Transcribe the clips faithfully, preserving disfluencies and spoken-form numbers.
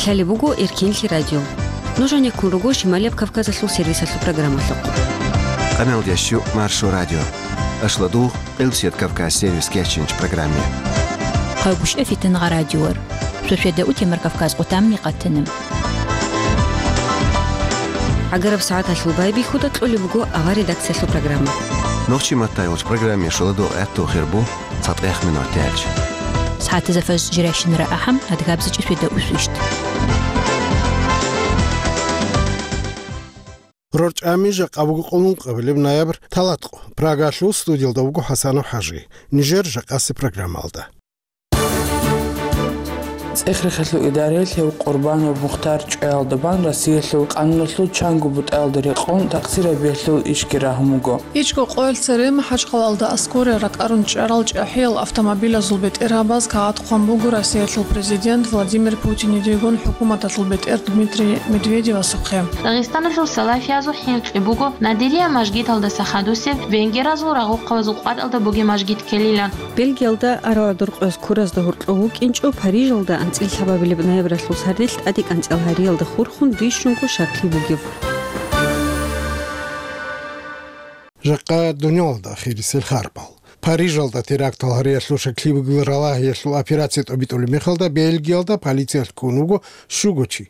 Лъалеб буго Эркенлъи радио. Нуж гӀенеккун руго Шималияб Кавказалъул сервисалъул программалъухъ. Къамел дящу Маршо радио. Ашладу Къилсият Кавказ сервис кечинч программе. Къагуш эфитан гъа радиор. Сосведа утемар Кавказ къутамни къатанам. ГӀагараб сагӀаталъул байбихьуда кьолеб буго авар редакциялъул программа. Нохчи маттайулч программе шуладу гӀатту хирбу цатӀех минут дялч. СагӀатазафаз жиращинара ахӀам адгабзичӀи светда усвищт. РорчӀами жакъа буго къулункъабилеб ноябрь талатӀкъо. Прагалъул студиялда вуго ХӀасанов ХӀажи. Нижер жакъаси программалда. ЦӀехрехалъул идараялъ гьев Къурбанов Мухтар чӀваялда бан Россиялъул къануналъул чанго бутӀаялда рекъон такъсирабиялъул ишги рагьун буго. ИчӀго къоялъ цере МахӀачхъалаялда аскӀоре ракӀарун чӀарал чӀахӀиял автомобилазул бетӀергьабаз кагъат хъван буго Россиялъул президент Владимир Путинидейгун хӀукуматалъул бетӀер Дмитрий Медведевасухъе. Дагъистаналъул салафиязул хӀинкъи буго Надирия мажгиталдаса хадусеб венгеразул рагъухъабазул къватӀалда бугеб мажгит ккелилан. Бельгиялда араладуркъояз куразда гьоркьов вукӀинчӀо Парижалда анцӀила лъабабилеб ноябралъул сардилъ тӀаде кӀанцӀал гьариялда хурхун бищунго шакли бугев. Жакъа дунялалда ахирисел харбал. Парижалда терактал гьариялъул шакли бугел ралагьиялъул операция тӀобитӀулеб мехалда Бельгиялда полициялъ ккун вуго щуго чи.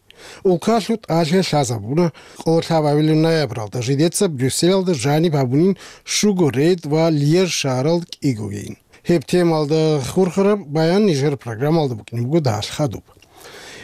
Улкалъул тӀалъи лъазабуна, къоло лъабабилеб ноябралда жидеца Брюсселалда жаниб гьабунин щуго рейд ва Льеж шагьаралда кӀигогейин. Гьеб темалда хурхараб баян нижер программалда букӀине буго дагьалъ хадуб.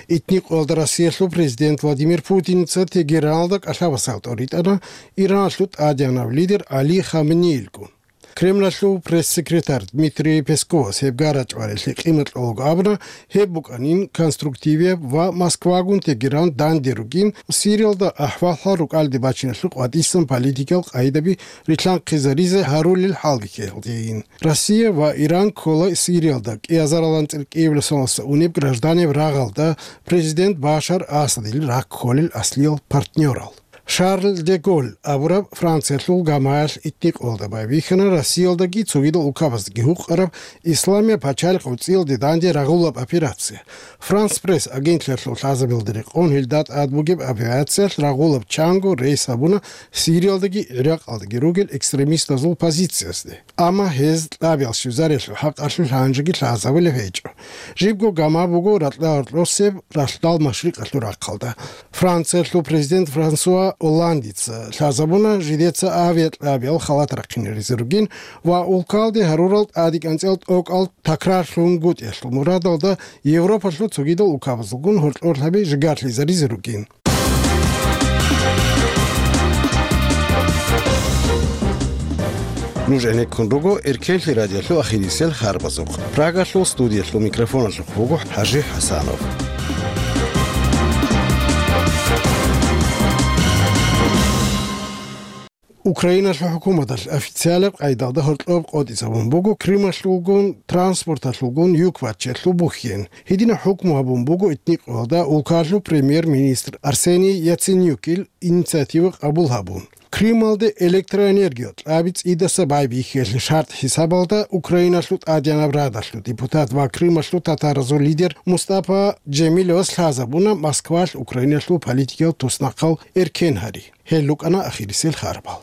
Итни къоялда Россиялъул президент Владимир Путиница Тегераналда кӀалъабасал тӀоритӀана Ираналъул тӀадегӀанав лидер Али Хаменеилгун. Кремлалъул пресс-секретарь Дмитрий Песковас гьеб гарачӀварелъи къимат кьолаго абуна, гьеб букӀанин конструктивияб ва Москвагун Тегеран данде ругин, Сириялда ахӀвал-хӀал рукӀалде бачиналъул къватӀисан политикал къагӀидаби рилъанхъизаризе гьарулел хӀалбихьиялдейин. Россия ва Иран ккола Сириялда кӀиазаралан цӀеркӀиявиласалдаса унеб гражданиял рагъалда президент Башар Асадил ракколел аслиял партнерал. Шарль де Голль абураб Франциялъул гамаялъ итни къоялда байбихьана Россиялдаги цогидал улкабаздаги гьукъараб Исламияб пачалихъ цӀиялде данде рагъулаб операция. Франс Пресс агентлъиялъул лъазабилда рекъон гьелда тӀад бугеб авиациялъ рагъулаб чанго рейс гьабуна Сириялдаги ГӀиракъалдаги ругел экстремистазул позициязде. Амма гьез кьабиял щвезариялъул хӀакъалъулъ гьанжеги лъазабулеб гьечӀо. Жибго гама буго ракьа-гьоркьосеб ралъдал машрикъалъул рахъалда. Франциялъул президент Франсуа Олландица лъазабуна жидеца авиакьабиял халат рахъинаризе ругин ва улкалде гьарурал тӀаде кӀанцӀал тӀокӀал такрарлъунгутӀиялъул мурадалда Европалъул цогидал улкабазулгун гьоркьорлъаби жигарлъизаризе ругин. Нуж гӀенеккун руго Эркенлъи радиолъул ахирисел харбазухъ. Прагалъул студиялъул микрофоналъухъ буго ХӀажи ХӀасанов. Украиналъул хӀукуматалъ официалаб къайдалда гьоркьоб къотӀизабун буго Крымалъулгун транспорталъулгун юк баччиялъул бухьен. Гьединаб хӀукму гьабун буго итникъоялда улкалъул премьер-министр Арсений Яценюкил инициатива къабул гьабун. Крымалде электроэнергия кьаби цӀидаса байбихьиялъе шартӀ хӀисабалда Украиналъул тӀадегӀанаб радалъул депутат ва Крымалъул татаразул лидер Мустапа Джемилевас лъазабуна Москвалъ Украиналъул политикиял туснахъал эркен гьари. Гьел рукӀана ахирисел харбал.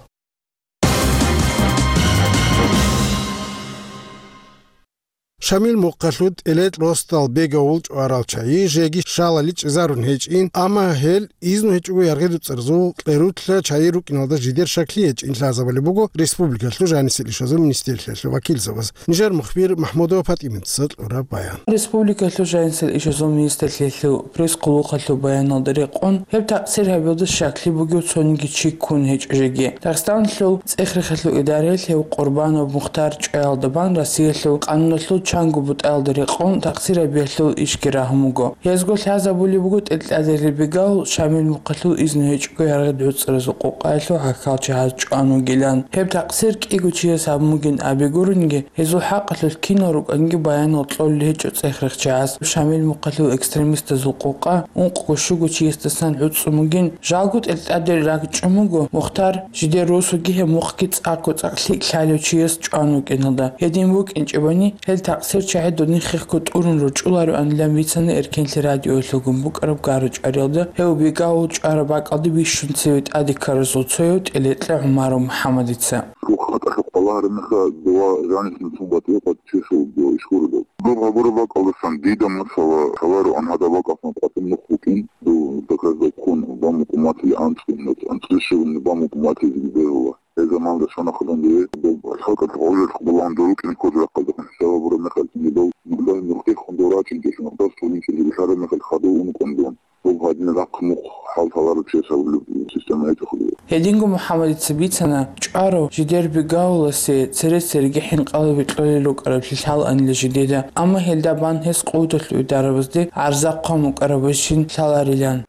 Шамил мухъалъуд тӀелетӀ росдал бегавул чӀварал чайи жеги шалали чӀезарун гьечӀин, амма гьел изну гьечӀого яргъи дуцӀарзул кьерулъа чайи рукӀиналда жидер шакли гьечӀин лъазабулеб буго республикалъул жанисел ишазул министрлъиялъул вакилзабаз. Нижер мухбир Махмудова ПатӀиматица кьураб баян. Республикалъул жанисел ишазул министрлъиялъул пресс-къулухъалъул баяналда рекъон, гьеб такъсир гьабиялда щаклъи бугев цониги чи ккун гьечӀо жеги. Дагъистаналъул цӀехрехалъул идараялъ гьев Къурбанов Мухтар чӀваялда бан Россиялъул къануналъул чанго бутӀаялда рекъон такъсир гьабиялъул ишги рагьун буго. Гьезго лъазабулеб буго тӀелтӀаде ребегал Шамил мухъалъул изну гьечӀого яргъи дуцӀаразул къукъаялъул хӀахьалчагьаз чӀван вугилан. Гьеб такъсир кӀиго чияс гьабун бугин абигурунги, гьезул хӀакъалъулъ кинал рукӀанги баянал кьолел гьечӀо цӀехрехчагӀаз. Шамил мухъалъул экстремистазул къукъа ункъго-щуго чиясдасан гӀуцӀцӀун бугин, жалго тӀелтӀаде ракӀчӀун буго Мухтар жидер росуги гьеб мухъги цӀакъго-цӀакъ лъикӀ лъалев чияс чӀван вукӀиналда. Гьедин вукӀинчӀебани, гьел такъсир Цо чагӀи додин хехго тӀурун ручӀулароанилан бицана Эркенлъи радиоялъулгун букӀараб гъарачӀариялда, гьев Бегавул чӀвараб бакӀалде бищун цеве тӀаде ккаразул цояв ТӀелекьа ГӀумаров МухӀаммадица. Цо хатӀалъухъ балагьараб мехалъ, дова жаниб цун батӀи-къватӀи чесулеб дова иш гуро доб. Доб гьабураб бакӀалдасан дида масала лъалароан гьадаб бакӀалъан къватӀиб нух букӀин, дов как раз доб хун бамукъуматили анцӀго, анцӀго щиб бамукъуматилиги бегьула. Гьеб заманалда щвана хадур дие, доб хӀалкӀалъухъ гӀололъухъ балагьун дов рукӀине ккола рахъалдехун, хӀисаб гьабураб мехалъ, дов нухда нухде хун дов рачӀинчӀелъун, нухда цо гьунчӀизе вилълъараб мехалъ хадув ункъун дун. Доб гьадин рахъ мухъ хӀал лъалареб чиясул система гьечӀо хадув. Гьединго МухӀаммадица бицана, чӀварав жидер Бегавуласе цере-цереги хӀинкъалаби кьолел рукӀараблъи лъалаанила жидеда, амма гьелда бан гьес къуваталъул идарабазде гӀарза хъван букӀарабищин лъаларилан.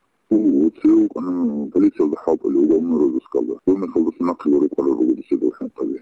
Цеве вукӀана полициялда хӀалтӀулев уголовный розыскалда. Доб мехалдаса нахъе рукӀарал руго дица дов хӀинкъаби.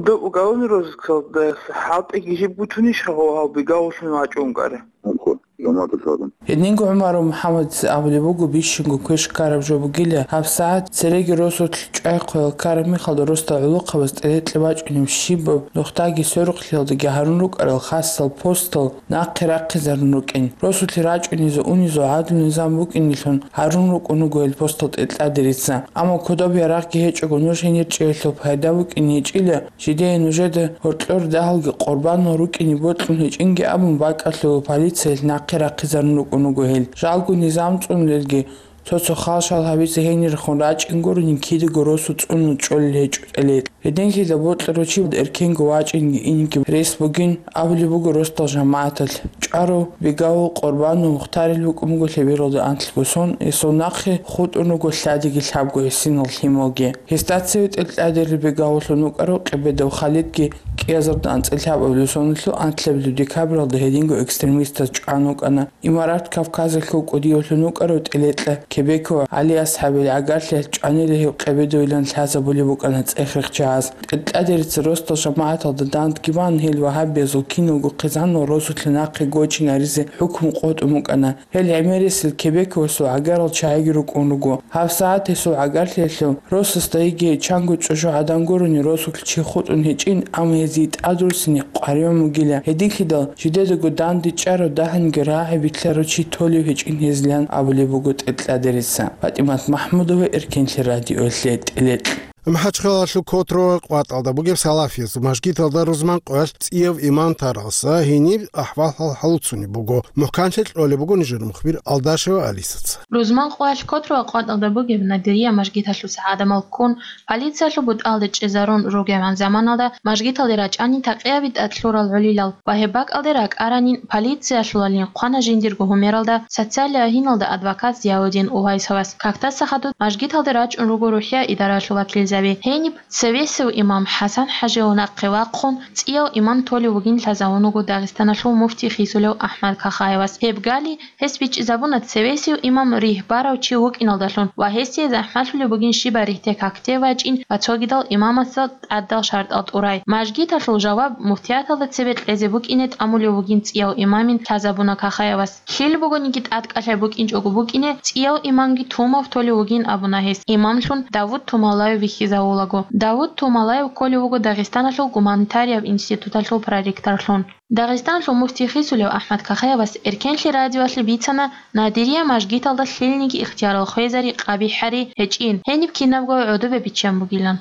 Доб уголовный розыскалда хӀалтӀиги жиб гутунищ гьав Бегавуллъун вачӀун вукӀарав? Гьанкъо, жамагӀаталъ гьарун. Гьединго ГӀумаров МухӀаммадица абулеб буго, бищунго квеш ккараб жо бугила, гьабсагӀат цереги росулъ чӀвай хъвел ккараб мехалда росдал гӀолохъабаз ТӀелекьа бачӀунеб щибаб нухдаги сверухълъиялдаги гьарун рукӀарал хасал постал нахъе рахъизарун рукӀин. Росулъе рачӀунезул-унезул гӀадлу-низам букӀинелъун гьарун рукӀун руго гьел постал ТӀелекьадерица. Амма кодоб ярагъги гьечӀого нуж гьенир чӀеялъул пайда букӀине гьечӀила, жидее нужеда гьоркьор дагьалги къурбанал рукӀине бокьун гьечӀинги абун бакӀалъула полициялъ нахъе рахъизарун рукӀун руго гьел. Жалго низам цӀунулелги, цо-цо хал-шал гьабизе гьенирехун рачӀин гурони кидаго росу цӀунун чӀолел гьечӀо ТӀелекьа. Гьединлъидал бокьарав чи эркенго вачӀинги инги рес бугин абулеб буго росдал жамагӀаталъ. ЧӀварав Бегавул къурбанав мухтарил вукӀун буго лъебералда анлъго сон, гьесул нахъе хутӀун руго лъадиги лъабго гӀисинал лъималги. Гьесда цеве ТӀелекьадерил Бегавуллъун вукӀарав Къебедов Халидги кӀиазарда анцӀила лъабабилеб соналъул анлъабилеб декабралда гьединго экстремистаз чӀван вукӀана. Имарат Кавказалъул кӀудиявлъун вукӀарав ТӀелекьа Кебеков ГӀали-АсхӀабил гӀагарлъиялъ чӀванила гьев Къебедовилан лъазабулеб букӀана цӀех-рехчагӀаз. ТӀелекьадерица росдал жамагӀаталда дандги бан, гьел вагьабиязул киналго хъизанал росулъе нахъе гочинаризе хӀукму къотӀун букӀана. Гьел гӀемерисел Кебековасул гӀагарал чагӀиги рукӀун руго. ГьабсагӀат гьесул гӀагарлъиялъул росасда йиги чанго чӀужугӀадан гурони росулъ чи хутӀун гьечӀин, амма гьезие тӀадруссине къваригӀун бугила. Гьединлъидал жидедаго дандечӀарав, дагьанги рагӀи билълъарав чи толев гьечӀин гьезилан абулеб буго ТӀелекьадерица. ПатӀимат МахӀмудова, Эркенлъи радиоялъе, ТӀелекьа. МахӀачхъалалъул Котрово къватӀалда бугеб Салафиязул мажгиталда рузман къоялъ цӀияв имам таралса гьениб ахӀвал-хӀал гьалуцунеб буго. МухӀканлъи кьолеб буго нижер мухбир Алдашева Алисаца. Рузман къоялъ Котрово къватӀалда бугеб Надирия мажгиталъуса гӀадамал ккун, полициялъул бутӀалде чӀезарун ругебгӀан заманалда мажгиталде рачӀани такъиаби тӀад лъурал гӀолилал ва гьеб бакӀалде ракӀаранин полициялъулалин хъвана жиндирго гьумералда социалияб гьиналда адвокат Зияудин Увайсовас. Кактаса хадуб мажгиталде рачӀун руго рухӀия идаралъул вакилзаби. Гьениб цевесев имам ХӀасан-хӀажияв нахъе вахъун, цӀияв имам толев вугин лъазавун вуго Дагъистаналъул муфти хисулев АхӀмад Кахаевас. Гьеб гали, гьес бичӀчӀизабуна цевесев имам ригь барав чи вукӀиналдалъун ва гьесие захӀмалъулеб бугин щибаб ригьде какде вачӀин ва цогидал имамасда тӀадал шартӀал тӀурай. Мажгиталъул жаваб муфтияталда цебе кьезе букӀине тӀамулев вугин цӀияв имамин лъазабуна Кахаевас. Лъил бугониги тӀадкӀалъай букӀинчӀого букӀине, цӀияв имамги Тумав толев вугин абуна гьес, имамлъун Давуд Тумалаев вихьизавулаго. Давуд Тумалаев кколев вуго Дагъистаналъул гуманитарияб институталъул проректорлъун. Дагъистаналъул муфти хисулев АхӀмад Кахаевас Эркенлъи радиоялъе бицана Надирия мажгиталда лъилниги ихтиярал хвезари къабихӀари гьечӀин, гьениб кинабго гӀодобе биччан бугилан.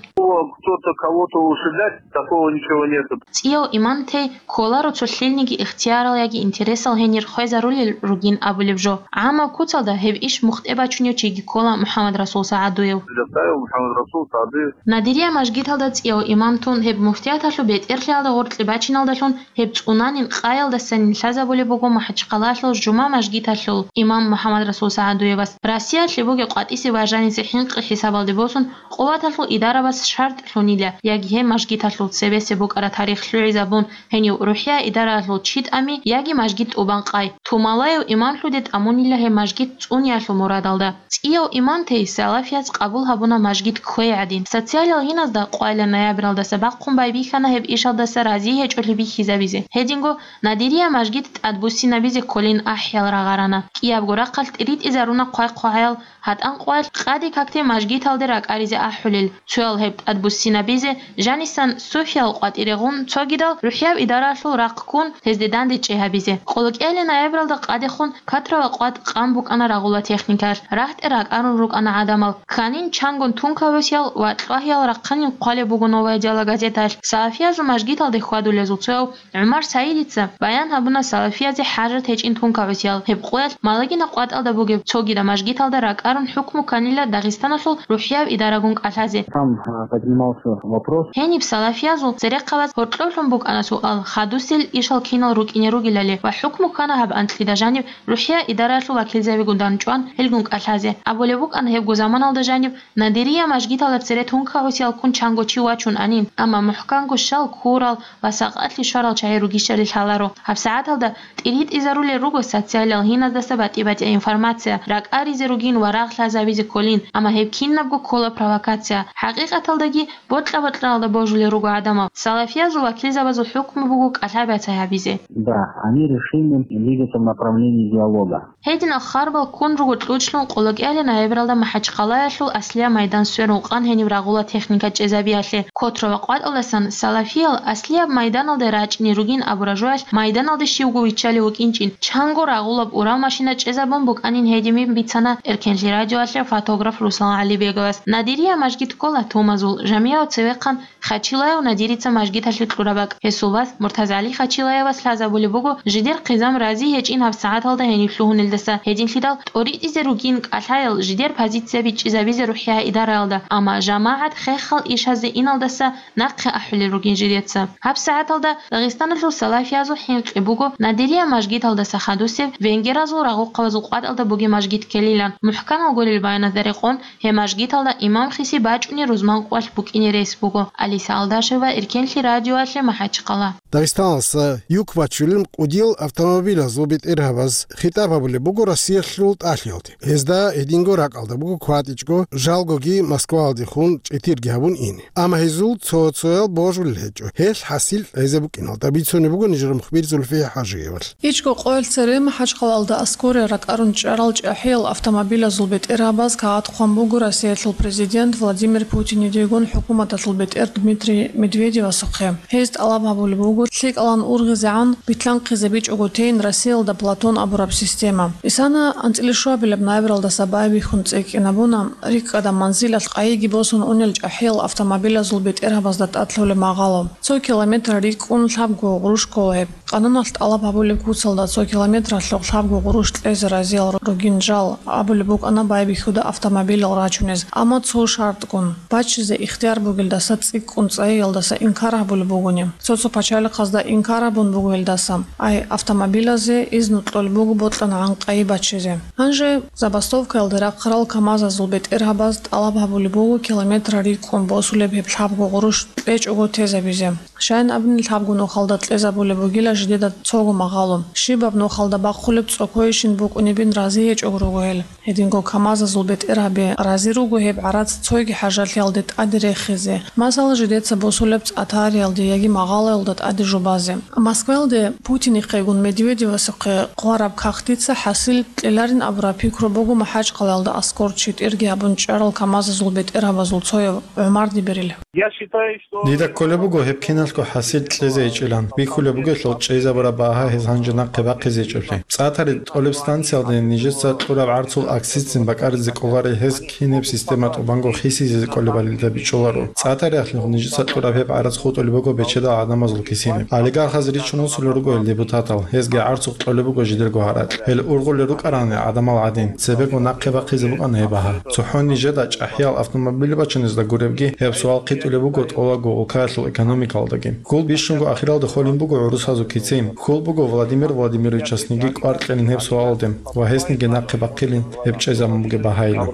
Кто-то кого-то ушибать, такого ничего нету. ЦӀияв имам тей кколаро цо лъилниги ихтиярал яги интересал гьенир хвезарулел ругин абулеб жо. ГӀаммаб куцалда гьеб иш мухтӀе бачунев чиги ккола МухӀаммадрасул СагӀадуев. Предоставил МухӀаммадрасул СагӀадуев. Надирия мажгиталда цӀияв имам тун гьеб муфтияталъул бетӀерлъиялда гъоркье бачиналдалъун гьеб цӀунанин къаялдасанин лъазабулеб буго МахӀачхъалалъул жума мажгиталъул имам МухӀаммадрасул СагӀадуевас. Россиялъе бугеб къватӀисе ва жанисе хӀинкъи хӀисабалде босун, къуваталъул идарабаз шартӀ лъунила, яги гьеб мажгиталъул цебесеб букӀараб тарих лъугӀизабун, гьенив рухӀия идараялъул чи тӀами, яги мажгит тӀубан къай. Тумалаев имамлъуде тӀамунила гьеб мажгит цӀуниялъул мурадалда. ЦӀияв имам тей салафияз къабул гьабуна мажгит кквей гӀадин. Социалиял гьиназда къвайилан ноябралдаса бахъун байбихьана гьеб ишалдаса разие гьечӀолъи бихьизабизе. Гьединго Надирия мажгит тӀадбуссинабизе кколин ахӀиял рагъарана. КӀиябго рахъалъ тӀиритӀизаруна хъвай-хъвагӀаял гьатӀан къвалъ къаде-какде мажгиталде ракӀаризе ахӀулел, цоял гьеб тӀадбуссинабизе, жанисан Софиял къватӀире гъун, цогидал рухӀияб идараялъул рахъ ккун, гьезде дандечӀей гьабизе. Къолокьалин ноябралда къадехун Котрова къватӀ къан букӀана рагъула техникаялъ, рагьтӀе ракӀарун рукӀана гӀадамал. Кканин чангун тункабасиял ва кьвагьиял рахъанин хъвалеб буго «Новое дело» газеталъ. Салафиязул мажгиталде хьвадулезул цояв ГӀумар Саидица баян гьабуна салафиязе хӀажат гьечӀин тункабасиял. Гьеб къоялъ Малагина къватӀалда бугеб цогидаб мажгиталда ракӀарун хӀукму кканила Дагъистаналъул рухӀияб идарагун кӀалъазе. Там, э, поднимался вопрос. Гьениб салафиязул церехъабаз гьоркьоблъун букӀана суал, хадусел ишал кинал рукӀине ругелали ва хӀукму ккана гьаб анкьида жаниб рухӀия идараялъул вакилзабигун данчӀван гьелгун кӀалъазе. Абулеб букӀана гьебго заманалда жаниб Надирия мажгиталда цере тункабасиял ккун чанго чи вачун анин, амма мухӀканго щал ккурал ва сакъалъи щварал чагӀи ругищали лъаларо. ГьабсагӀаталда тӀиритӀизарулел руго социалиял гьиназдаса батӀи-батӀияб информация, ракӀаризе ругин ва рагъ лъазабизе кколин, амма гьеб кинабго ккола провокация. ХӀакъикъаталдаги бокьа-бокьаралда божулел руго гӀадамал. Салафиязул вакилзабазул хӀукму буго кӀалъай-бацай гьабизе. Да, они решили двигаться в направлении диалога. Гьединал харбал ккун руго кьучӀлъун къолокьалин ноябралда МахӀачхъалаялъул аслияб майдан сверун къан гьениб рагъула техника чӀезабиялъе. Котрова къватӀалдасан салафиял аслияб майданалде рачӀине ругин абураб жоялъ майданалде щивго виччалев вукӀинчӀин, чанго рагъулаб урал машина чӀезабун букӀанин гьединин бицана Эркенлъи радиоялъе фотограф Руслан ГӀалибеговас. Надирия мажгит ккола Тумазул, жамигӀав цевехъан Хачилаев Надирица мажгиталъе кьураб бакӀ. Гьесул вас МуртазгӀали Хачилаевас лъазабулеб буго жидер хъизан рази гьечӀин гьабсагӀаталда гьенив лъугьунелдаса, гьединлъидал тӀоритӀизе ругин кӀалъаял жидер позицияби чӀезабизе рухӀия идараялда, амма жамагӀат хехал ишазе иналдаса нахъе ахӀулел ругин жидеца. ГьабсагӀаталда Дагъистаналъул салафиязул хӀинкъи буго Надирия мажгиталдаса хадусеб венгеразул рагъухъабазул къватӀалда бугеб мажгит ккелилан, мухӀканал гурел баяназда рекъон, гьеб мажгиталда имам хиси бачӀунеб рузманкъоялъ букӀине рес буго. Алиса Алдашева, Эркенлъи радиоялъе, МахӀачхъала. Дагъистаналдаса юк бачулел кӀудиял автомобилазул бетӀергьабаз хитӀаб гьабулеб буго Россиялъул тӀалъиялде. Гьезда гьединго ракӀалда буго кватӀичӀого, жалгоги Москваялдехун чӀетирги гьабун ине. Амма гьезул цо-цоял божулел гьечӀо. Гьелъ хӀасил кьезе букӀиналда бицунеб буго нижер мухбир Зульфия ХӀажиевалъ. ИчӀго къоялъ цере МахӀачхъалаялда аскӀоре ракӀарун чӀарал чӀахӀиял автомобилазул бетӀергьабаз кагъат хъван буго Россиялъул президент Владимир Путинидегун хӀукуматалъул бетӀер Дмитрий Медведевасухъе. Гьез тӀалаб гьабулеб буго лъикӀалан ургъизегӀан битлъанхъизе бичӀого тейин Россиялда Платон абураб система. Исана анцӀила щуабилеб ноябралдаса байбихьун цӀикӀкӀинабуна рикӀкӀадаб манзилалъ къайиги босун унел чӀахӀиял автомобилазул бетӀергьабазда тӀад лъолеб магъало. Цо километр рикӀкӀун лъабго гъурущ ккола гьеб. Къануналъ тӀалаб гьабулеб куцалда цо километралъухъ лъабго гъурущ кьезе разиял ругин жал абулеб букӀана байбихьуда автомобилал рачунез, амма цо шартгун: баччизе ихтияр бугелдаса цӀикӀкӀун цӀайиялдаса инкар гьабулеб бугони. Цо-цо пачалихъазда инкар гьабун буго гьелдаса, ай автомобилазе изну кьолеб буго бокьанагӀан къайи баччизе. Гьанже забастовкаялде рахъарал КамАЗазул бетӀергьабаз тӀалаб гьабулеб буго километр рикӀкӀун босулеб гьеб лъабго гъурущ кьечӀого тезабизе. Щайин абуни, лъабго нухалда кьезабулеб бугила жидеда цого магъало. Щибаб нухалда бахъулеб цӀокойищин букӀунебин рази гьечӀого руго гьел. Гьединго КамАЗазул бетӀергьаби рази руго гьеб гӀарац цоги хӀажалъиялде тӀаде рехизе, масала, жидеца босулеб цӀатариялде яги магъалаялда тӀаде жубазе. Москваялде Путинихъегун Медведевасухъе хъвараб кагътица хӀасил кьеларин абураб пикру буго МахӀачхъалаялда аскӀор читӀирги гьабун чӀарал КамАЗазул бетӀергьабазул цояв ГӀумар Дибирил. Я считаю, что Дида кколеб буго гьеб киналго хӀасил кьезе гьечӀилан. Бихьулеб бугелъул чӀезабураб багьа гьез гьанже нахъе бахъизе гьечӀеблъи. ЦӀатари тӀолеб станциялде нижеца кьураб гӀарцул аксицин бакӀаризе кӀоларе, гьез кинеб система тӀубанго хисизезе кколебали дида бичӀчӀуларо. ЦӀатариялъухъ нижеца кьураб гьеб гӀарац хутӀулеб буго бечедал гӀадамазул кисине. Олигархаз ричун росулел руго гьел депутатал, гьезги гӀарцухъ кьолеб буго жидерго гьаракь. Гьел ургъулел рукӀарани гӀадамал гӀадин, цебего нахъе бахъизе букӀана гьеб багьа. ЦохӀо нижеда чӀахӀиял автомобиль бачунезда гуребги, гьеб суал хъитӀулеб буго тӀолабго улкаялъул экономикалдаги. Хьул бищунго ахиралда холин буго гӀурусазул кицин. Хьул буго Владимир Владимировичасниги кӀвар кьелин гьеб суалалде ва гьесниги нахъе бахъилин гьеб чӀезабун бугеб багьайилан.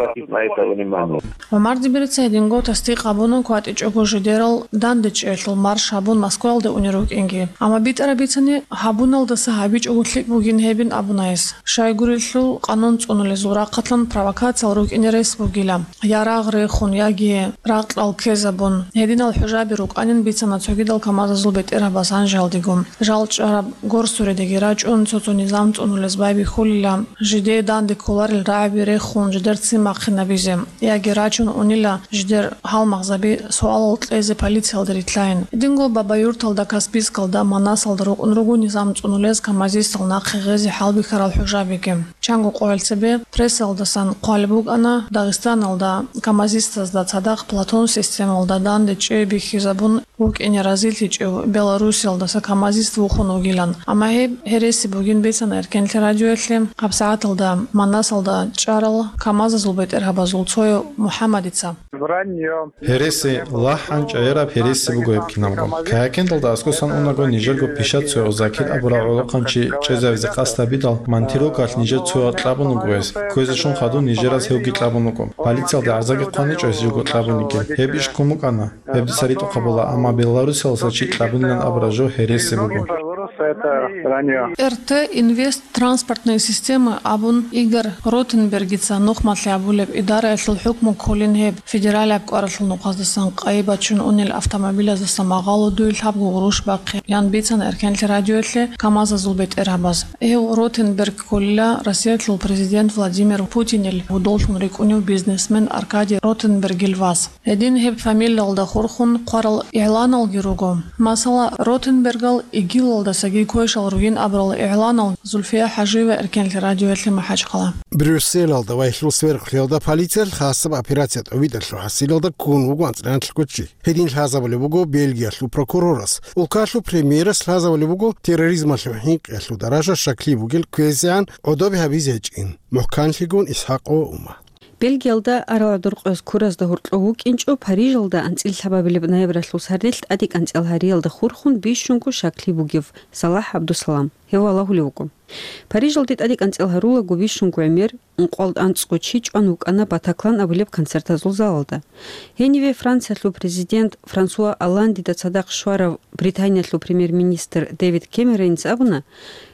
ГӀумар Дибирица гьединго тасдикъ гьабуна кватӀичӀого жидерал дандечӀеялъул марш гьабун Москваялде унел рукӀинги. Амма битӀараб бицани, гьабуналдаса гьабичӀого лъикӀ бугин гьебин абуна гьес. Щайгурелъул, къанун цӀунулезул рахъалъан провокациял рукӀине рес бугила. Я рагъ рехун, яги ракьал ккезабун. Гьединал хӀужаби рукӀанин бицана цогидал КамАЗазул бетӀергьабаз гьанжеялдего. Жал чӀараб горсуредаги рачӀун, цо-цо низам цӀунулез байбихьулила, жидее данде кколарел рагӀаби рехун, жидер ццин бахъинабизе, яги рачун унила жидер гьалмагъзаби суалал кьезе полициялда рилълъайин. Гьединго Бабаюрталда, Каспийскалда, Манасалда рукӀун руго низам цӀунулез камазистал нахъе гъезе хӀалбихьарал хӀужабиги. Чанго къоялъ цебе прессалдасан хъвалеб букӀана, Дагъистаналда камазистазда цадахъ платон системалда данде чӀей бихьизабун вукӀине разилъичӀев Белоруссиялдаса камазист вухун вугилан. Амма гьеб гьереси бугин бицана Эркенлъи радиоялъе гьабсагӀаталда Манасалда чӀарал камазазул бетӀергьабазул цояв МухӀаммадица. Враньё. Гьереси, лахӀан чӀегӀераб гьереси буго гьеб кинабго. Кагьакендалда аскӀосан унаго нижерго пишат цояв Закир абурав гӀолохъанчи чӀезавизе къасд гьабидал, Монтирокалъ нижер цоял кьабун вуго гьес. Кквезе щун хадуб нижераз гьевги кьабун вуго. Полициялда гӀарзаги хъваничӀо гьес живго кьабунигин. Гьеб иш ккун букӀана. Гьеб дица ритӀухъабула, амма Беларусиялдаса чи кьабунилан абураб жо гьереси буго. Беларусь это враньё. РТ Инвест транспортные системы абун Игорь Ротенбергица нухмалъи абулеб идараялъул хӀукму кколин гьеб федералияб кӀваралъул нухъаздасан къайи бачун унел автомобилаздаса магъало дуй лъабго гъурущ бахъе, ян бицана Эркенлъи радиоялъе КамАЗазул бетӀергьабаз. Гьев Ротенберг кколила Россиялъул президент Владимир Путинил гьудоллъун рикӀкӀунев бизнесмен Аркадий Ротенбергил вас. Гьедин гьеб фамилиялда хурхун хъварал игӀланалги руго. Масала, Ротенбергал ИГИЛалдасаги квешал ругин абурал игӀланал. Зульфия ХӀажиева, Эркенлъи радиоялъе МахӀачхъала. Брюсселалда ва гьелъул сверхлъиялда полициялъ хасаб операция тӀубитӀалъул хӀасилалда ккун вуго анцӀила чи. Гьедин лъазабулеб буго Бельгиялъул прокурорас. Улкалъул премьерас лъазабулеб буго терроризмалъул хӀинкъиялъул даража щаклъи бугел кквезегӀан гӀодобе гьабизе гьечӀин, мухӀканлъигун ИсхӀакъова Ума. Бельгиялда арал гӀодор къояз ккуразда гьоркьов вукӀинчӀо Парижалда анцӀила лъабабилеб ноябралъул сардилъ тӀадекӀанцӀила гьариялда хурхун бищунго щаклъи бугев Салахь ГӀабдусалам. Гьев валагьулев вуго. Парижалде тӀадекӀанцӀила гьарулаго бищунго гӀемер, ункъоялда анцӀго чи чӀван вукӀана Батаклан абулеб концертазул залалда. Гьениве Франциялъул президент Франсуа Олландида цадахъ щварав Британиялъул премьер-министр Дэвид Кэмероница абуна,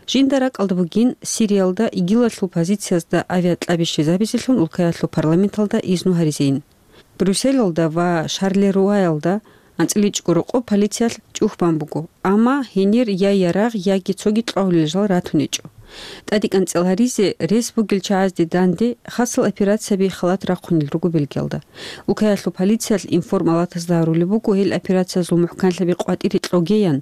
жинда ракӀалда бугин Сириялда ИГИЛалъул позициязда авиакьаби щвезабизелъун улкаялъул парламенталда изну гьаризейин. Брюсселалда ва Шарлеруаялда анцӀила чӀого рокъоб полициялъ чӀухь бан буго, амма гьенир я ярагъ, яги цоги кьвагьулел жал ратун гьечӀо. ТӀадекӀанцӀила гьаризе рес бугел чагӀазде данде хасал операцияби халат рахъунел руго Бельгиялда. Улкаялъул полициялъ информалатазда гьарулеб буго гьел операциязул мухӀканлъаби къватӀире кьогеян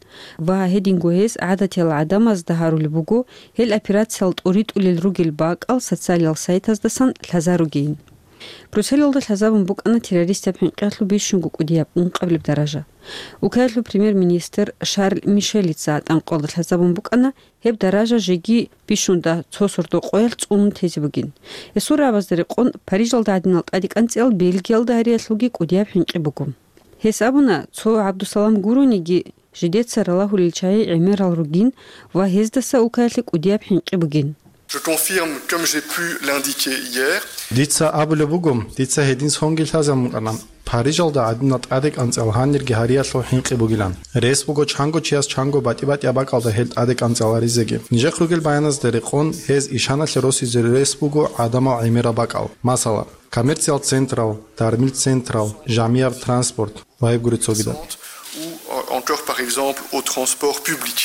ва гьединго гьез гӀадатиял гӀадамазда гьарулеб буго гьел операциял тӀуритӀулел ругел бакӀал социалиял сайтаздасан лъазаругейин. Брюсселалда лъазабун букӀана террористияб хӀинкъиялъул бищунго кӀудияб ункъабилеб даража. Улкаялъул премьер-министр Шарль Мишелица тӀанкъолда лъазабун букӀана, гьеб даража жеги бищунда цо сордо къоялъ цӀунун тезе бугин. Гьесул рагӀабазда рекъон, Парижалда гӀадинал тӀадекӀанцӀиял Бельгиялда гьариялъулги кӀудияб хӀинкъи буго. Гьес абуна, цо ГӀабдусалам гурониги, жидеца ралагьулел чагӀи гӀемерал ругин ва гьездаса улкаялъе кӀудияб хӀинкъи бугин. Je confirme, comme j'ai pu l'indiquer hier. Дица абулеб буго, дица гьедин сонги лъазабун букӀана, Парижалда гӀадинал тӀадекӀанцӀиял гьанирги гьариялъул хӀинкъи бугилан. Рес буго чанго чияс чанго батӀи-батӀияб бакӀалда гьел тӀадекӀанцӀиял гьаризеги. Нижехъ ругел баяназда рекъон, гьез ишаналъе росизе рес буго гӀадамал гӀемерал бакӀал. Масала, коммерциал централ, дармил централ, жамияб транспорт ва гьеб гури цогидал. Ou encore, par exemple, au transport public.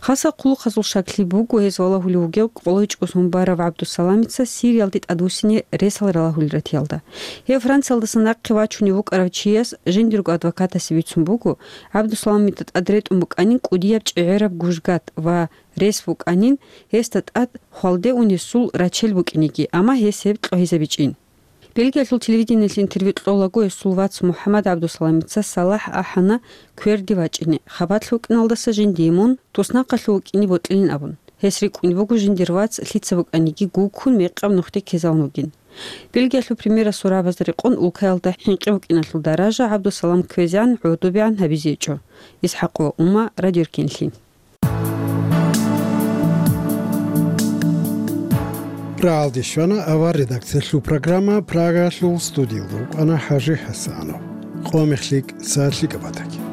Хасал хъулухъазул щаклъи буго, гьез валагьулев вугев къоло чӀосун барав ГӀабдусаламица Сириялде тӀадвуссине ресал ралагьулел ратиялда. Гьев Франциялдаса нахъе вачунев вукӀарав чияс жиндирго адвокатасе бицун буго, ГӀабдусаламида тӀад ретӀун букӀанин кӀудияб чӀегӀераб гужгат ва рес букӀанин, гьесда тӀад хвалде унесул рачел букӀинеги, амма гьес гьеб кьогьизабичӀин. Бельгиялъул телевидениелъ интервью кьолаго гьесул вац МухӀаммад ГӀабдусаламица Салахь ахӀана кверде вачӀине, хабалъ вукӀиналдаса жиндие мун туснахъалъув вукӀине бокьилин абун. Гьес рикӀкӀунеб буго жиндир вац лъица букӀаниги гуккун мекъаб нухде ккезавун вугин. Бельгиялъул премьерасул рагӀабазда рекъон улкаялда хӀинкъи букӀиналъул даража ГӀабдусалам кквезегӀан гӀодобегӀан гьабизе гьечӀо. ИсхӀакъова Ума, Радио Эркенлъи. РагӀалде щвана авар редакциялъул программа, Прагалъул студиялда вукӀана ХӀажи ХӀасанов. Къо-мех лъикӀ, сагӀат лъикӀаб батаги.